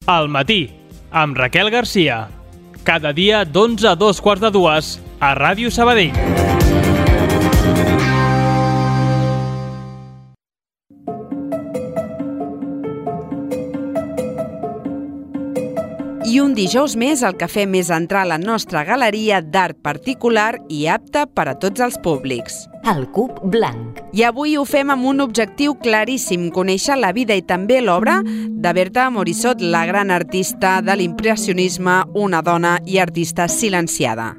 Al matí, amb Raquel Garcia. Cada dia d'11 a 2:15 a Ràdio Sabadell. I un dijous més el que fem és entrar a la nostra galeria d'art particular i apta per a tots els públics. El Cub Blanc. I avui ho fem amb un objectiu claríssim, conèixer la vida i també l'obra de Berta Morisot, la gran artista de l'impressionisme, una dona i artista silenciada.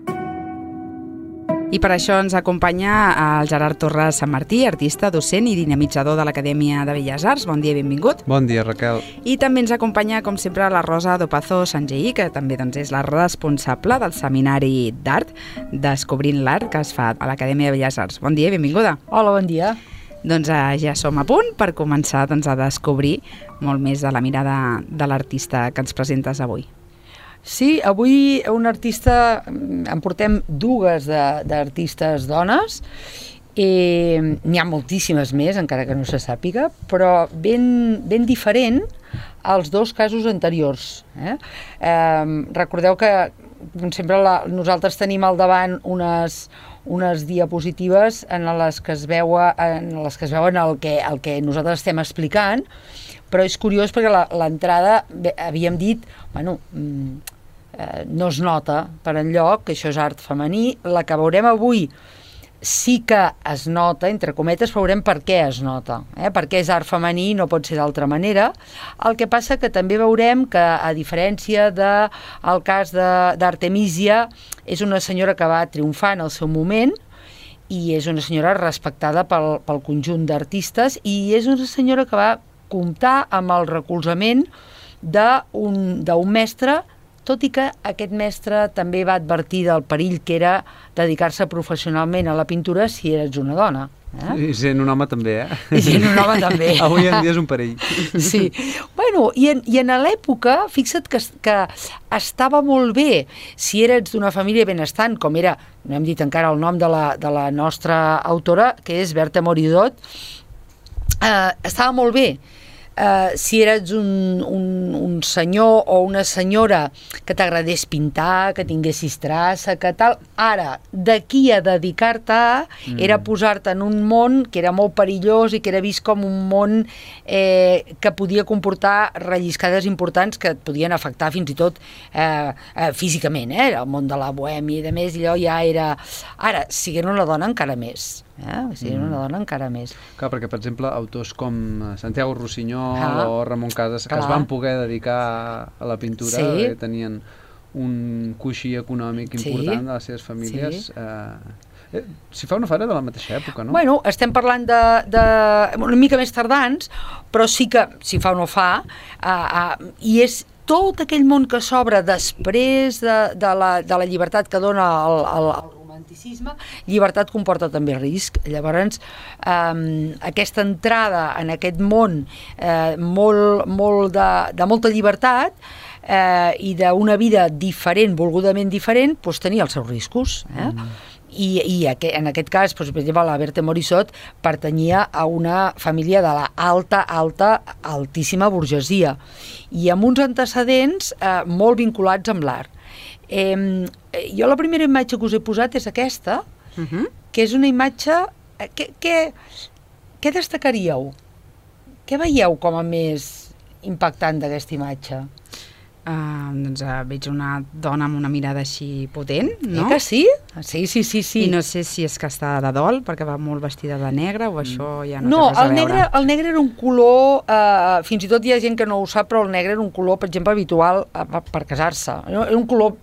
I per això ens acompanya el Gerard Torres Sant Martí, artista, docent i dinamitzador de l'Acadèmia de Belles Arts. Bon dia i benvingut. Bon dia, Raquel. I també ens acompanya, com sempre, la Rosa Dopazo Sangeí, que també és la responsable del Seminari d'Art Descobrint l'Art que es fa a l'Acadèmia de Belles Arts. Bon dia i benvinguda. Hola, bon dia. Doncs ja som a punt per començar a descobrir molt més de la mirada de l'artista que ens presentes avui. Sí, avui un artista, en portem dues d'artistes dones, n'hi ha moltíssimes més, encara que no se sàpiga, però ben diferent als dos casos anteriors. Recordeu que, com sempre, nosaltres tenim al davant unes diapositives en les que es veuen el que nosaltres estem explicant, però és curiós perquè l'entrada, havíem dit, no es nota per enlloc que això és art femení. La que veurem avui sí que es nota, entre cometes, però veurem per què es nota, per què és art femení, no pot ser d'altra manera. El que passa que també veurem que, a diferència del cas d'Artemisia, és una senyora que va triomfar en el seu moment i és una senyora respectada pel conjunt d'artistes i és una senyora que va comptar amb el recolzament d'un mestre, tot i que aquest mestre també va advertir del perill que era dedicar-se professionalment a la pintura si eres una dona. I sent un home també, I sent un home també. Avui en dia és un perill. Sí. I en l'època, fixa't que estava molt bé si eres d'una família benestant, com era, no hem dit encara el nom de la nostra autora, que és Berta Morisot, estava molt bé. Si eres un senyor o una senyora que t'agradés pintar, que tinguessis traça, que tal. Ara, d'aquí a dedicar-te era posar-te en un món que era molt perillós i que era vist com un món que podia comportar relliscades importants que et podien afectar fins i tot físicament, el món de la bohèmia i de més, allò ja era... Ara, siguent una dona encara més. Siguent una dona encara més. Clar, perquè, per exemple, autors com Santiago Rossinyol o Ramon Casas, que es van poder dedicar a la pintura, tenien un coixí econòmic important de les seves famílies. Si fa o no fa era de la mateixa època, no? Bueno, estem parlant de una mica més tardans, però sí que, si fa o no fa, i és tot aquell món que s'obre després de la llibertat que dona el romanticisme. Llibertat comporta també risc. Llavors, aquesta entrada en aquest món de molta llibertat i d'una vida diferent, volgudament diferent, doncs tenia els seus riscos. I en aquest cas, per exemple, la Berta Morisot pertanyia a una família de la altíssima burgesia i amb uns antecedents molt vinculats amb l'art. Jo la primera imatge que us he posat és aquesta, que és una imatge... Què destacaríeu? Què veieu com a més impactant d'aquesta imatge? Doncs veig una dona amb una mirada així potent, no? Que sí? Sí. I no sé si és que està de dol, perquè va molt vestida de negre, o això ja no té res a veure. El negre era un color, fins i tot hi ha gent que no ho sap, però el negre era un color, per exemple, habitual per casar-se. Era un color...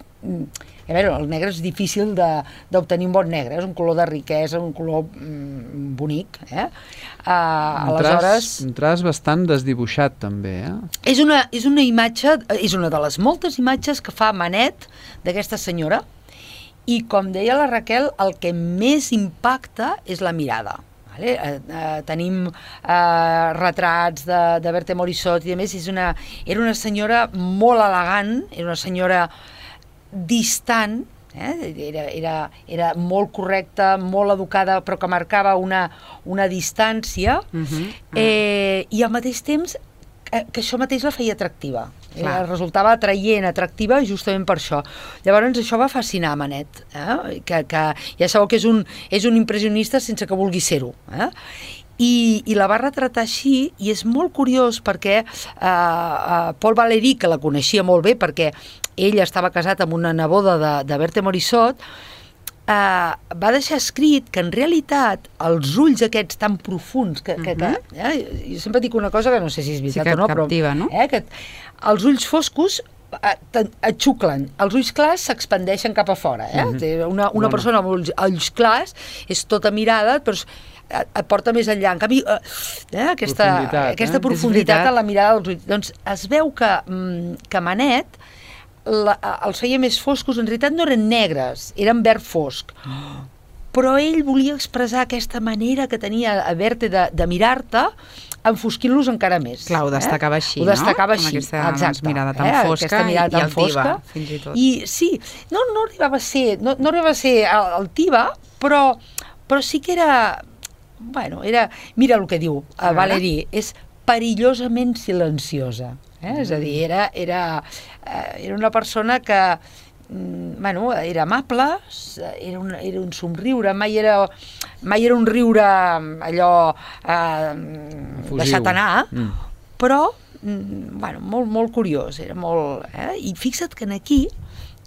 A veure, el negre és difícil d'obtenir un bon negre, és un color de riquesa, un color bonic. Aleshores... Un traç bastant desdibuixat, també, És una imatge, és una de les moltes imatges que fa Manet d'aquesta senyora, i com deia la Raquel, el que més impacta és la mirada. Tenim retrats de Berta Morisot i a més era una senyora molt elegant, era una senyora distant, era molt correcta, molt educada, però que marcava una distància, i al mateix temps que això mateix la feia atractiva. resultava atraient, atractiva, justament per això. Llavors això va fascinar Manet, que ja sabeu que és un impressionista sense que vulgui ser-ho. I la va retratar així, i és molt curiós perquè Paul Valéry, que la coneixia molt bé perquè ell estava casat amb una neboda de Berthe Morisot, va deixar escrit que en realitat els ulls aquests tan profunds jo sempre dic una cosa que no sé si és veritat o no, captiva, no? Que els ulls foscos et xuclen, els ulls clars s'expandeixen cap a fora. Una persona amb ulls clars és tota mirada, però et porta més enllà. En canvi, aquesta profunditat en la mirada dels ulls. Doncs es veu que Manet els feia més foscos, en realitat no eren negres, eren verd fosc. Però ell volia expressar aquesta manera que tenia a Berthe de mirar-te, enfosquint-los encara més. Clar, ho destacava així, no? Ho destacava així, exacte. Mirada tan fosca i altiva, fins i tot. I sí, no arribava a ser altiva, però sí que era... Bueno, mira el que diu Valéry, és perillosament silenciosa. És a dir, era una persona que era amable, era un somriure, mai era un riure allò deixat anar, però molt curiós, era molt... I fixa't que aquí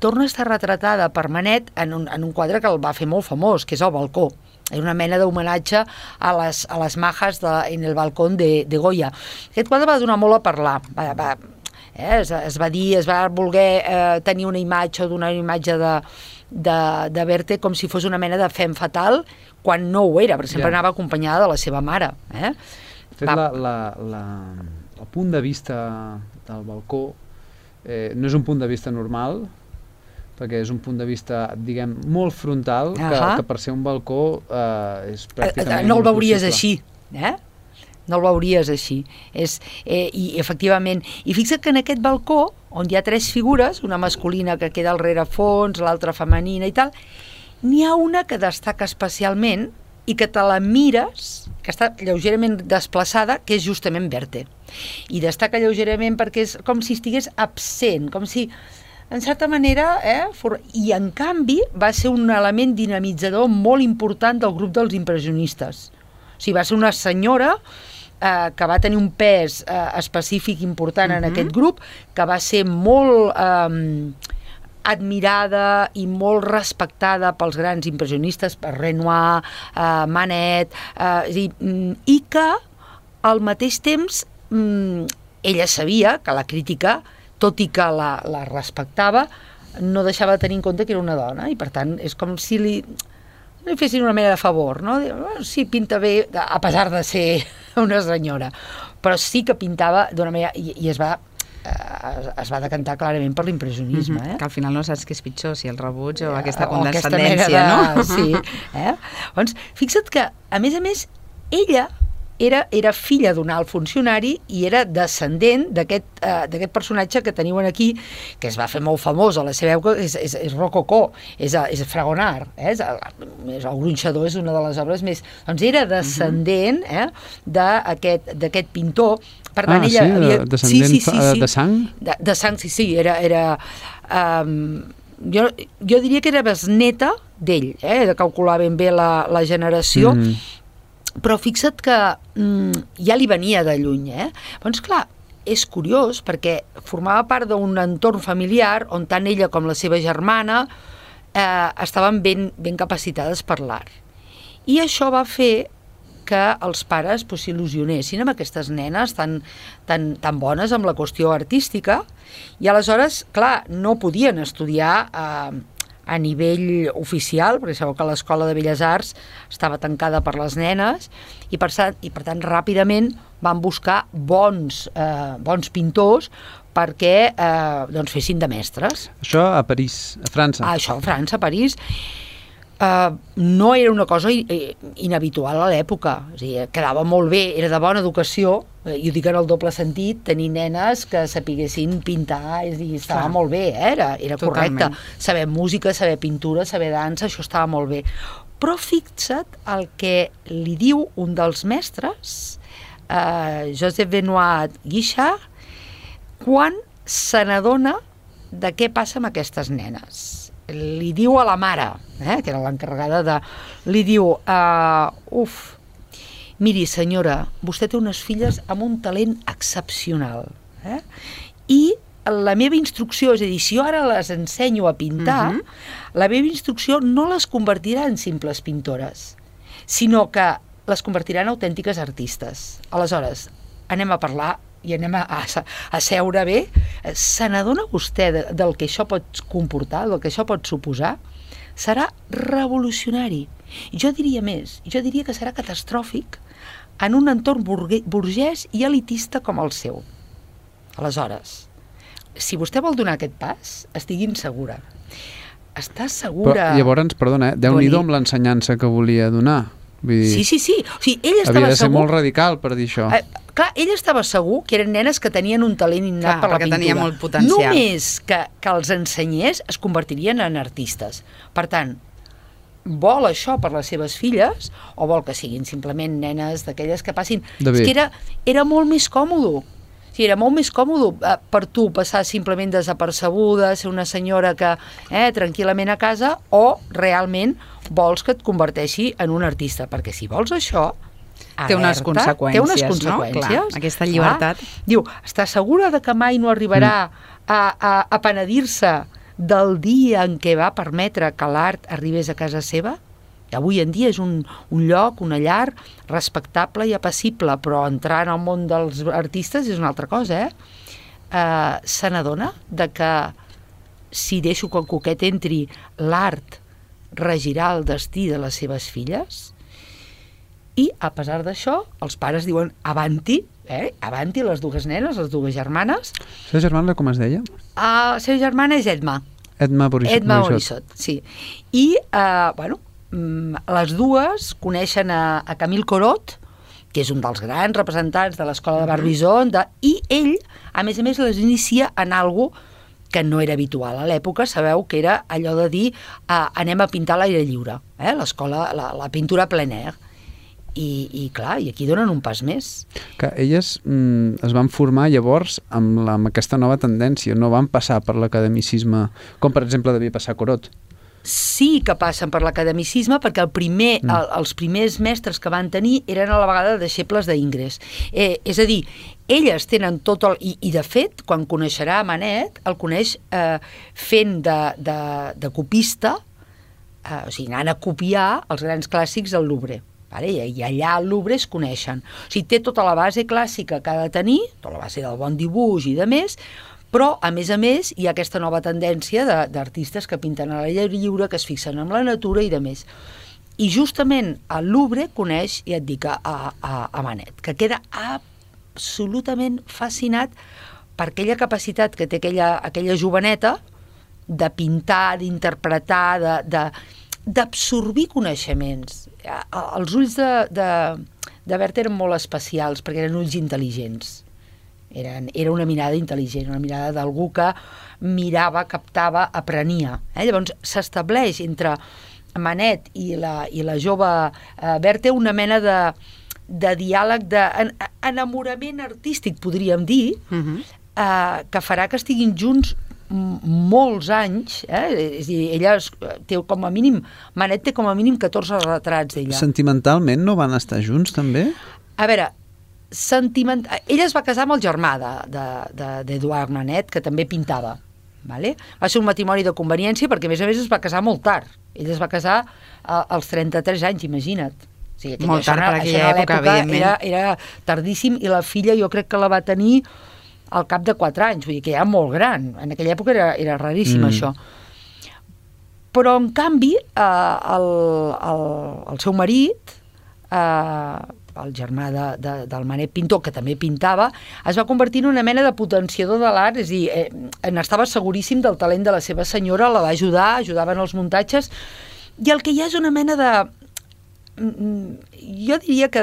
torna a estar retratada per Manet en un quadre que el va fer molt famós, que és El balcó. Era una mena d'homenatge a les majas en el balcó de Goya. Aquest quadre va donar molt a parlar, es va dir, es va voler tenir una imatge o donar una imatge de Berthe com si fos una mena de femme fatal, quan no ho era, perquè sempre anava acompanyada de la seva mare. El punt de vista del balcó no és un punt de vista normal, perquè és un punt de vista, diguem, molt frontal, que per ser un balcó és pràcticament... No el veuries així, no el veuries així. I efectivament, i fixa't que en aquest balcó, on hi ha 3 figures, una masculina que queda al rerefons, l'altra femenina i tal, n'hi ha una que destaca especialment i que te la mires, que està lleugerament desplaçada, que és justament Berthe. I destaca lleugerament perquè és com si estigués absent, com si... En certa manera, i en canvi va ser un element dinamitzador molt important del grup dels impressionistes. O sigui, va ser una senyora que va tenir un pes específic important en aquest grup, que va ser molt admirada i molt respectada pels grans impressionistes, per Renoir, Manet, i que al mateix temps ella sabia que la crítica, tot i que la respectava, no deixava de tenir en compte que era una dona, i per tant és com si li fessin una mena de favor, no? Sí, pinta bé, a pesar de ser una senyora, però sí que pintava d'una manera, i es va decantar clarament per l'impressionisme. Que al final no saps què és pitjor, si el rebuig o aquesta condescendència, no? Sí. Doncs fixa't que, a més, ella era filla d'un alt funcionari i era descendent d'aquest personatge que teniu aquí, que es va fer molt famós a la seva època, és Rococó, és Fragonard, el Gronxador és una de les obres més... Doncs era descendent d'aquest pintor. Per tant, ella havia... descendent de sang? De sang, sí, era... Jo diria que era besneta d'ell, de calcular ben bé la generació, però fixa't que ja li venia de lluny. Doncs clar, és curiós perquè formava part d'un entorn familiar on tant ella com la seva germana estaven ben capacitades per l'art. I això va fer que els pares s'il·lusionessin amb aquestes nenes tan bones amb la qüestió artística, i aleshores, clar, no podien estudiar a nivell oficial, perquè sabeu que l'Escola de Belles Arts estava tancada per les nenes, i per tant ràpidament van buscar bons pintors perquè fessin de mestres. Això a París, a França? Això a França, a París. No era una cosa inhabitual a l'època, o sigui, quedava molt bé, era de bona educació, i ho dic en el doble sentit, tenir nenes que sapiguessin pintar, és a dir, estava molt bé, era correcte. Saber música, saber pintura, saber dansa, això estava molt bé. Però fixa't el que li diu un dels mestres, Joseph Benoit Guichard, quan se n'adona de què passa amb aquestes nenes. Li diu a la mare, que era l'encarregada de... Li diu, miri senyora, vostè té unes filles amb un talent excepcional. I la meva instrucció, és a dir, si jo ara les ensenyo a pintar, la meva instrucció no les convertirà en simples pintores, sinó que les convertirà en autèntiques artistes. Aleshores, anem a parlar i anem a seure bé. Se n'adona vostè del que això pot comportar, del que això pot suposar? Serà revolucionari. Jo diria més, jo diria que serà catastròfic en un entorn burgès i elitista com el seu. Aleshores, si vostè vol donar aquest pas, estiguin segura. Estàs segura... Però llavors, perdona, Déu-n'hi-do amb l'ensenyança que volia donar. Vull dir, sí. O sigui, ell estava havia de ser segur... molt radical per dir això. Clar, ell estava segur que eren nenes que tenien un talent innat per la pintura. Tenia molt potencial. Només que els ensenyés es convertirien en artistes. Per tant, vol això per les seves filles o vol que siguin simplement nenes d'aquelles que passin... És que era molt més còmode. Sí, era molt més còmode per tu passar simplement desapercebuda, ser una senyora que tranquil·lament a casa, o realment vols que et converteixi en un artista, perquè si vols això, té unes conseqüències, no? Clar, aquesta llibertat. Diu, està segura de que mai no arribarà a penedir-se del dia en què va permetre que l'art arribés a casa seva? Avui en dia és un lloc, una llar respectable i apassible, però entrar en el món dels artistes és una altra cosa, Se n'adona de que si deixo que el coquet entri, l'art regirà el destí de les seves filles? I, a pesar d'això, els pares diuen avanti, avanti, les dues nenes, les dues germanes. La seva germana com es deia? La seva germana és Edma. Edma Morissot. Sí. I, les dues coneixen a Camille Corot, que és un dels grans representants de l'escola de Barbizon, i ell, a més, les inicia en algo que no era habitual a l'època. Sabeu que era allò de dir anem a pintar a l'aire lliure, l'escola, la pintura plein air. I clar, i aquí donen un pas més. Que elles es van formar llavors amb aquesta nova tendència, no van passar per l'academicisme, com per exemple devia passar Corot. Sí que passen per l'academicisme, perquè els primers mestres que van tenir eren a la vegada deixebles d'Ingres. És a dir, elles tenen tot el... I de fet, quan coneixerà Manet, el coneix fent de copista, o sigui, anant a copiar els grans clàssics del Louvre. I allà al Louvre es coneixen. O sigui, té tota la base clàssica que ha de tenir, tota la base del bon dibuix i de més, però, a més, hi ha aquesta nova tendència d'artistes que pinten a l'aire lliure, que es fixen en la natura i de més. I justament al Louvre coneix, ja et dic, a Manet, que queda absolutament fascinat per aquella capacitat que té aquella joveneta de pintar, d'interpretar, d'absorbir coneixements. Els ulls de Berta eren molt especials, perquè eren ulls intel·ligents. Era una mirada intel·ligent, una mirada d'algú que mirava, captava, aprenia. Llavors s'estableix entre Manet i la jove Berta una mena de diàleg, d'enamorament artístic, podríem dir, que farà que estiguin junts molts anys. És a dir, ella té com a mínim, Manet té com a mínim 14 retrats d'ella. Sentimentalment no van estar junts, també? A veure, ella es va casar amb el germà d'Eduard Manet, que també pintava. Va ser un matrimoni de conveniència perquè, a més, es va casar molt tard. Ell es va casar als 33 anys, imagina't. O sigui, molt tard per aquella època, evidentment. Era tardíssim, i la filla jo crec que la va tenir al cap de 4 anys, vull dir que ja molt gran. En aquella època era raríssim, això. Però, en canvi, el seu marit, el germà del Manet pintor, que també pintava, es va convertir en una mena de potenciador de l'art, és a dir, n'estava seguríssim del talent de la seva senyora, la va ajudava en els muntatges, i el que hi ha és una mena de... jo diria que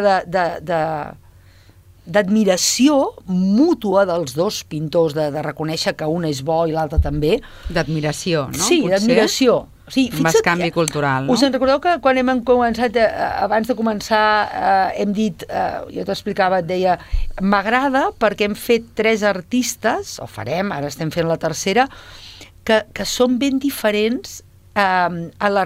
d'admiració mútua dels dos pintors, de reconèixer que un és bo i l'altre també. D'admiració, no? Sí, d'admiració. Un canvi cultural, no? Us en recordeu que quan hem començat, abans de començar, hem dit, jo t'explicava, et deia, m'agrada perquè hem fet 3 artistes, o farem, ara estem fent la tercera, que són ben diferents a la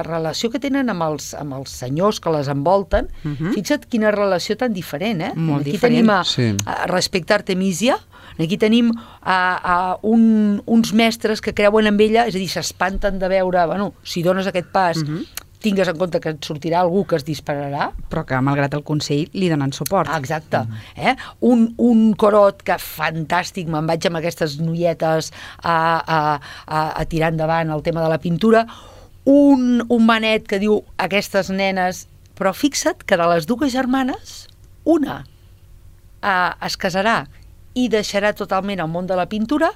relació que tenen amb els senyors que les envolten. Fixa't quina relació tan diferent, Molt aquí diferent. tenim respecte a Artemisia, aquí tenim uns mestres que creuen en ella, és a dir, s'espanten de veure, bueno, si dones aquest pas, tingues en compte que et sortirà algú que es dispararà. Però que, malgrat el Consell, li donen suport. Exacte. Un corot que fantàstic, me'n vaig amb aquestes noietes a tirar endavant el tema de la pintura, un manet que diu aquestes nenes, però fixa't que de les 2 germanes, una es casarà i deixarà totalment el món de la pintura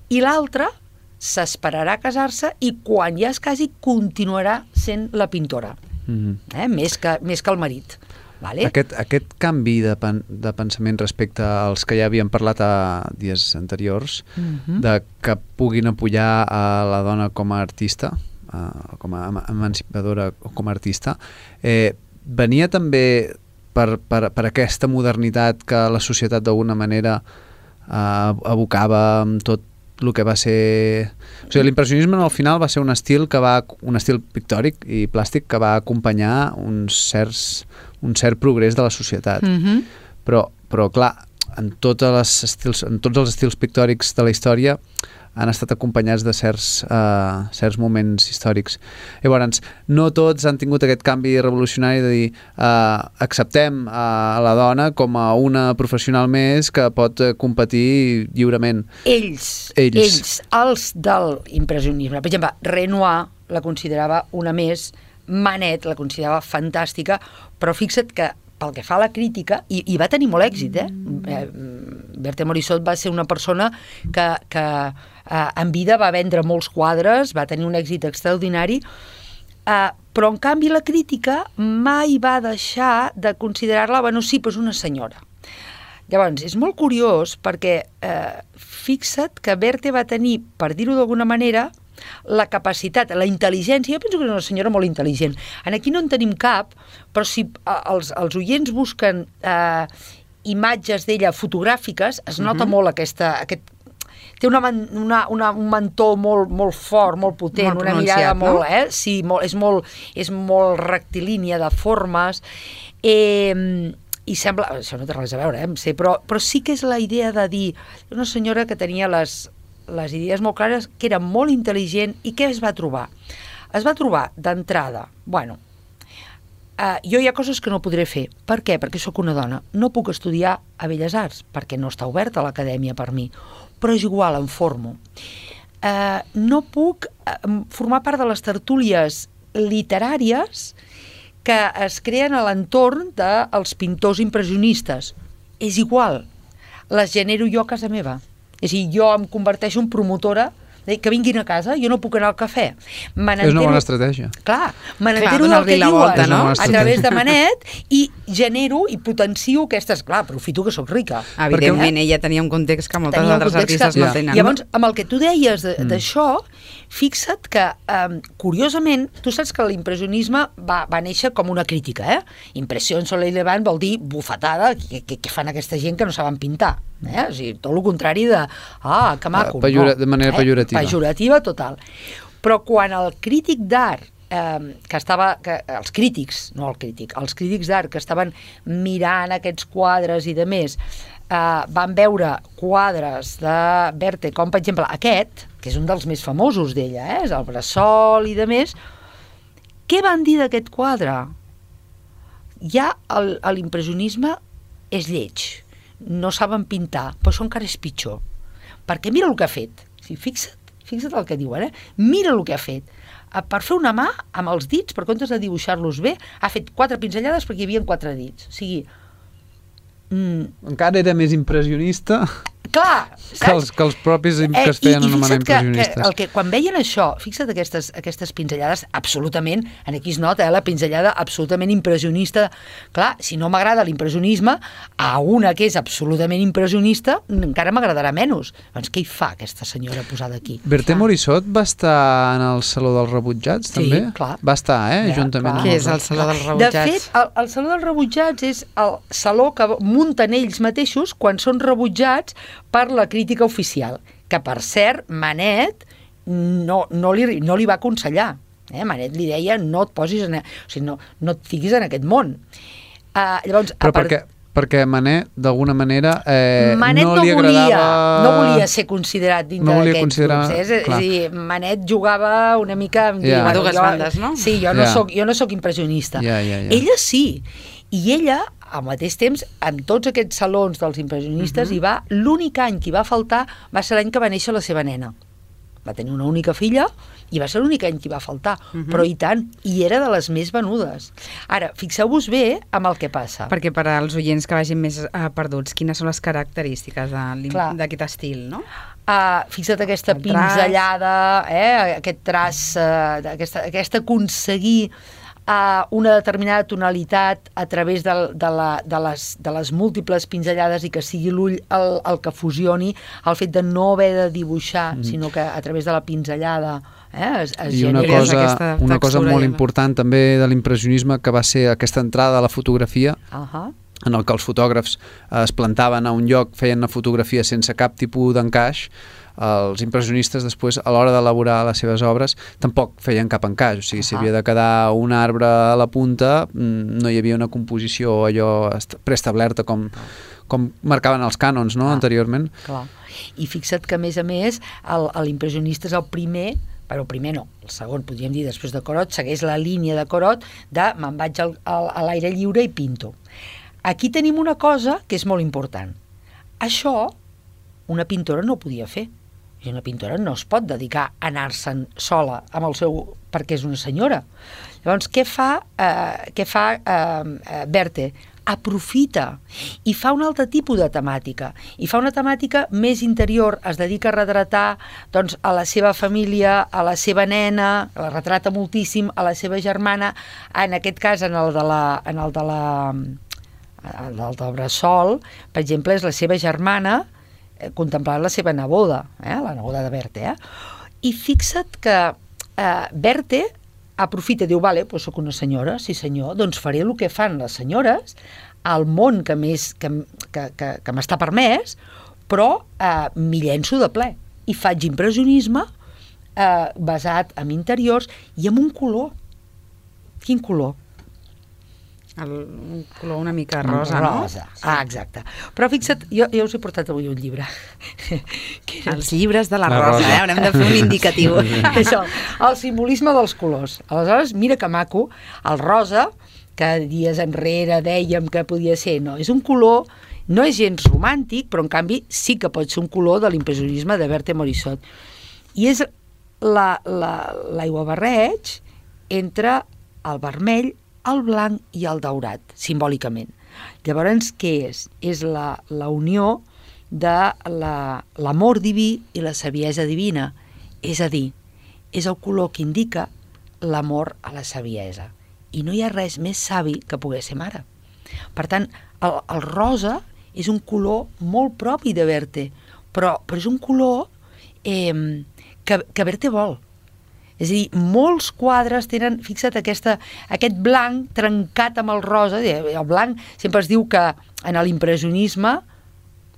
i l'altra s'esperarà a casar-se i quan ja es casi continuarà sent la pintora, més que el marit. Vale? Aquest canvi de pensament respecte als que ja havíem parlat a dies anteriors, de que puguin apoyar a la dona com a artista, com a emancipadora o com a artista, venia també per aquesta modernitat que la societat d'alguna manera abocava amb tot el que va ser... O sigui, l'impressionisme al final va ser un estil pictòric i plàstic que va acompanyar un cert progrés de la societat. Però clar, en tots els estils pictòrics de la història han estat acompanyats de certs moments històrics. Llavors, no tots han tingut aquest canvi revolucionari de dir acceptem a la dona com a una professional més que pot competir lliurement. Ells, els del impressionisme. Per exemple, Renoir la considerava una més, Manet la considerava fantàstica, però fixa't que pel que fa a la crítica, i va tenir molt èxit, Berthe Morisot va ser una persona que en vida va vendre molts quadres, va tenir un èxit extraordinari, però en canvi la crítica mai va deixar de considerar-la, bueno, sí, però és una senyora. Llavors, és molt curiós perquè fixa't que Berthe va tenir, per dir-ho d'alguna manera, la capacitat, la intel·ligència. Jo penso que és una senyora molt intel·ligent. Aquí no en tenim cap, però si els oients busquen imatges d'ella fotogràfiques, es nota molt aquest... Té un mentó molt fort, molt potent, una mirada molt... Sí, és molt rectilínia de formes, i sembla... Això no té res a veure, però sí que és la idea de dir una senyora que tenia les idees molt clares, que era molt intel·ligent, i què es va trobar? Es va trobar, d'entrada, bueno, jo hi ha coses que no podré fer. Per què? Perquè sóc una dona. No puc estudiar a Belles Arts, perquè no està oberta l'acadèmia per mi, però és igual, em formo. No puc formar part de les tertúlies literàries que es creen a l'entorn dels pintors impressionistes. És igual, les genero jo a casa meva. És a dir, jo em converteixo en promotora que vinguin a casa, jo no puc anar al cafè. És una bona estratègia. Clar, me n'entero del que diuen, no? A través de Manet, i genero i potencio aquestes... Clar, aprofito que sóc rica. Evidentment, ella tenia un context que moltes altres artistes no tenen. Llavors, amb el que tu deies d'això, fixa't que, curiosament, tu saps que l'impressionisme va néixer com una crítica, Impressió en Soleil Levant vol dir bufetada, què fan aquesta gent que no saben pintar? O sigui, tot el contrari de que maco. De manera pejorativa. Pejorativa total. Però quan el crític d'art els crítics d'art que estaven mirant aquests quadres i de més, van veure quadres de Berthe, com per exemple aquest, que és un dels més famosos d'ella, és el Bressol i de més, què van dir d'aquest quadre? Ja l'impressionisme és lleig, no saben pintar, però això encara és pitjor, perquè mira el que ha fet. Fixa't el que diuen, mira el que ha fet. Per fer una mà amb els dits, per comptes de dibuixar-los bé, ha fet 4 pinzellades perquè hi havia 4 dits. O sigui... Encara era més impressionista. clar, saps? Que els propis que es feien anomenar impressionistes. Quan veien això, fixa't aquestes pinzellades absolutament, aquí es nota, la pinzellada absolutament impressionista. Clar, si no m'agrada l'impressionisme, a una que és absolutament impressionista, encara m'agradarà menys. Doncs què hi fa aquesta senyora posada aquí? Berté Morisot va estar en el Saló dels Rebutjats, també? Sí, clar. Va estar, juntament amb... Què és el Saló dels Rebutjats? De fet, el Saló dels Rebutjats és el saló que munten ells mateixos quan són rebutjats per la crítica oficial, que per cert Manet no li va aconsellar. Manet li deia no et posis no et fiquis en aquest món. Llavors, perquè Manet, d'alguna manera, Manet no li agradava... No volia ser considerat dintre d'aquests grups. És a dir, Manet jugava una mica... A dues bandes, no? Sí, jo no soc impressionista. Ella sí. I ella, al mateix temps, en tots aquests salons dels impressionistes, l'únic any que hi va faltar va ser l'any que va néixer la seva nena. Va tenir una única filla i va ser l'únic any que hi va faltar. Però i tant, i era de les més venudes. Ara, fixeu-vos bé amb el que passa. Perquè per als oients que vagin més perduts, quines són les característiques d'aquest estil, no? Fixa't aquesta pinzellada, aquest traç, aquest aconseguir una determinada tonalitat a través de les múltiples pinzellades i que sigui l'ull el que fusioni, el fet de no haver de dibuixar, sinó que a través de la pinzellada es genera una cosa molt important també de l'impressionisme, que va ser aquesta entrada a la fotografia, en el que els fotògrafs es plantaven a un lloc, feien una fotografia sense cap tipus d'encaix. Els impressionistes després, a l'hora d'elaborar les seves obres, tampoc feien cap encaix, o sigui, si havia de quedar un arbre a la punta, no hi havia una composició allò preestablerta com marcaven els cànons, no?, anteriorment. Clar. I fixa't que, a més, l'impressionista és el primer, però el primer no, el segon, podríem dir, després de Corot, segueix la línia de Corot de me'n vaig a l'aire lliure i pinto. Aquí tenim una cosa que és molt important. Això una pintora no ho podia fer. I una pintora no es pot dedicar a anar-se'n sola amb el seu... perquè és una senyora. Llavors, què fa Berthe? Aprofita i fa un altre tipus de temàtica. I fa una temàtica més interior, es dedica a retratar doncs, a la seva família, a la seva nena, la retrata moltíssim, a la seva germana, en aquest cas en el del Bressol, per exemple, és la seva germana contemplant la seva neboda, la neboda de Berthe. I fixa't que Berthe aprofita, diu, vale, doncs soc una senyora, sí senyor, doncs faré el que fan les senyores al món que m'està permès, però m'hi llenço de ple i faig impressionisme basat en interiors i amb un color. Quin color? Un color una mica rosa, no? Rosa, exacte. Però fixa't, jo us he portat avui un llibre. Els llibres de la rosa, haurem de fer un indicatiu. Això, el simbolisme dels colors. Aleshores, mira que maco, el rosa, que dies enrere dèiem que podia ser, no, és un color, no és gens romàntic, però en canvi sí que pot ser un color de l'impressionisme de Berthe Morisot. I és l'aiguabarreig entre el vermell, el blanc i el daurat, simbòlicament. Llavors, què és? És la unió de l'amor diví i la saviesa divina. És a dir, és el color que indica l'amor a la saviesa. I no hi ha res més savi que poder ser mare. Per tant, el rosa és un color molt propi de Berthe, però és un color que Berthe vol. És a dir, molts quadres tenen, fixa't, aquest blanc trencat amb el rosa. El blanc, sempre es diu que en l'impressionisme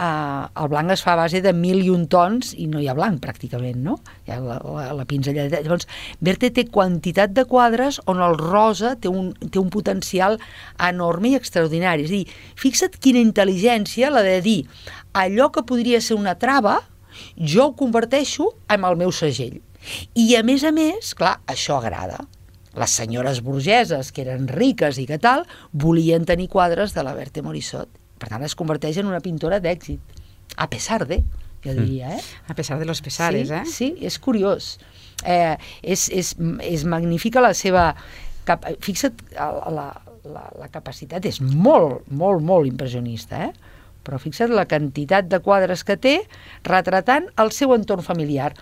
el blanc es fa a base de 1001 tons i no hi ha blanc pràcticament, no? Hi ha la pinzellada. Llavors, Berthe té quantitat de quadres on el rosa té un potencial enorme i extraordinari. És a dir, fixa't quina intel·ligència la de dir allò que podria ser una trava, jo ho converteixo en el meu segell. I a més, clar, això agrada. Les senyores burgeses, que eren riques i que tal, volien tenir quadres de la Berthe Morisot. Per tant, es converteix en una pintora d'èxit. A pesar de, jo diria, A pesar de los pesares, Sí, és curiós. És magnífica la seva... Fixa't, la capacitat és molt, molt, molt impressionista, però fixa't la quantitat de quadres que té retratant el seu entorn familiar.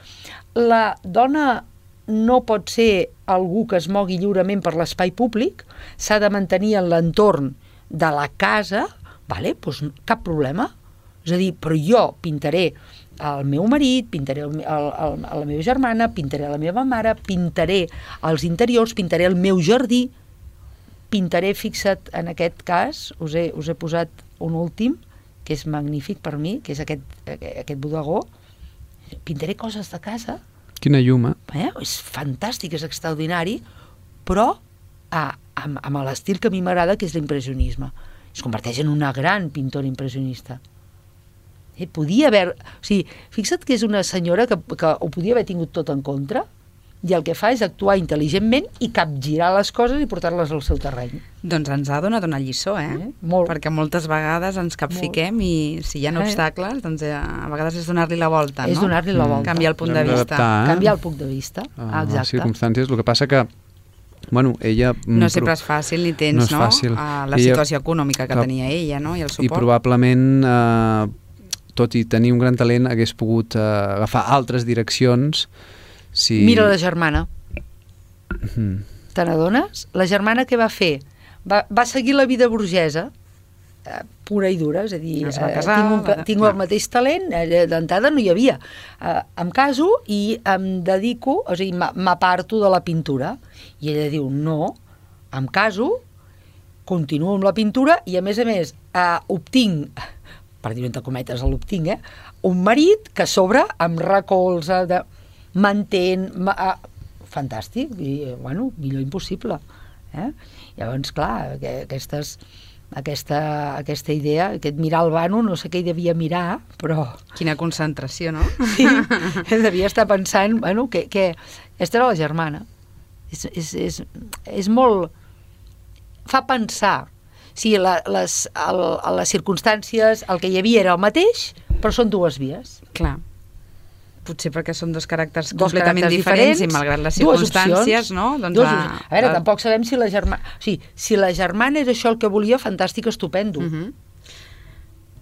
La dona no pot ser algú que es mogui lliurement per l'espai públic, s'ha de mantenir en l'entorn de la casa, vale? Doncs cap problema. És a dir, però jo pintaré el meu marit, pintaré la meva germana, pintaré la meva mare, pintaré els interiors, pintaré el meu jardí, pintaré, fixa't, en aquest cas, us he posat un últim, que és magnífic per mi, que és aquest bodegó, pintaré coses de casa. Quina llum, És fantàstic, és extraordinari, però amb l'estil que a mi m'agrada, que és l'impressionisme. Es converteix en una gran pintora impressionista. Podia haver... O sigui, fixa't que és una senyora que ho podia haver tingut tot en contra, i el que fa és actuar intel·ligentment i capgirar les coses i portar-les al seu terreny. Doncs ens ha donat una lliçó, Molt. Perquè moltes vegades ens capfiquem i si hi ha obstacles, doncs a vegades és donar-li la volta, no? És donar-li la volta. Canviar el punt de vista. Canviar el punt de vista, exacte. Les circumstàncies, el que passa que ella... No sempre és fàcil ni tens, no? La situació econòmica que tenia ella, no? I el suport. I probablement, tot i tenir un gran talent, hagués pogut agafar altres direccions. Mira la germana. Te n'adones? La germana què va fer? Va seguir la vida burgesa, pura i dura, és a dir, es va casar, tinc el mateix talent, d'entrada no hi havia. Em caso i em dedico, o sigui, m'aparto de la pintura. I ella diu, no, em caso, continuo amb la pintura i a més obtinc, per dir-ho entre cometes, l'obtinc, un marit que a sobre em recolza, m'entén, fantàstic, i, millor impossible. Llavors, clar, aquesta idea, aquest mirar al vano, no sé què hi devia mirar, però... Quina concentració, no? Sí, devia estar pensant, que aquesta era la germana. És molt... Fa pensar. Sí, les circumstàncies, el que hi havia era el mateix, però són dues vies. Clar. Potser perquè són dos caràcters completament diferents i malgrat les circumstàncies, no? A veure, tampoc sabem si la germana... O sigui, si la germana era això el que volia, fantàstic, estupendo.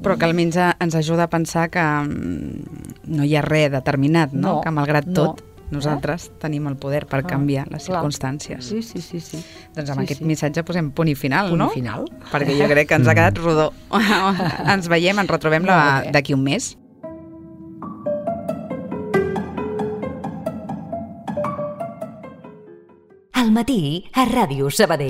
Però que almenys ens ajuda a pensar que no hi ha res determinat, no? Que malgrat tot, nosaltres tenim el poder per canviar les circumstàncies. Sí. Doncs amb aquest missatge posem punt i final, no? Punt i final. Perquè jo crec que ens ha quedat rodó. Ens veiem, ens retrobem d'aquí un mes. Al matí a Ràdio Sabadell.